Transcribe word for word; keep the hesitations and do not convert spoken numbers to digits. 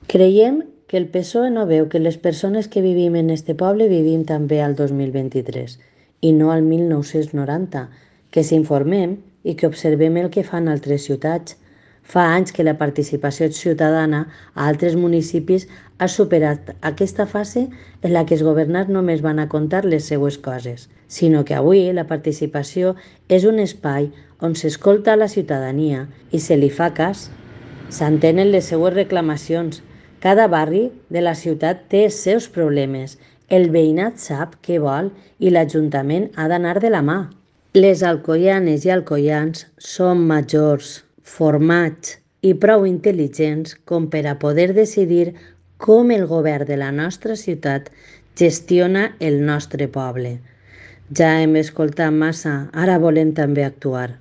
Creiem que el P S O E no veu que les persones que vivim en este poble vivim també al dos mil vint-i-tres i no al mil nou-cents noranta, que s'informem i que observem el que fan altres ciutats. Fa anys que la participació ciutadana a altres municipis ha superat aquesta fase en la que els governants només van a contar les seues coses, sinó que avui la participació és un espai on s'escolta la ciutadania i se li fa cas. S'entenen les seues reclamacions. Cada barri de la ciutat té els seus problemes. El veïnat sap què vol i l'Ajuntament ha d'anar de la mà. Les alcoianes i alcoians són majors, formats i prou intel·ligents com per a poder decidir com el govern de la nostra ciutat gestiona el nostre poble. Ja hem escoltat massa, ara volem també actuar.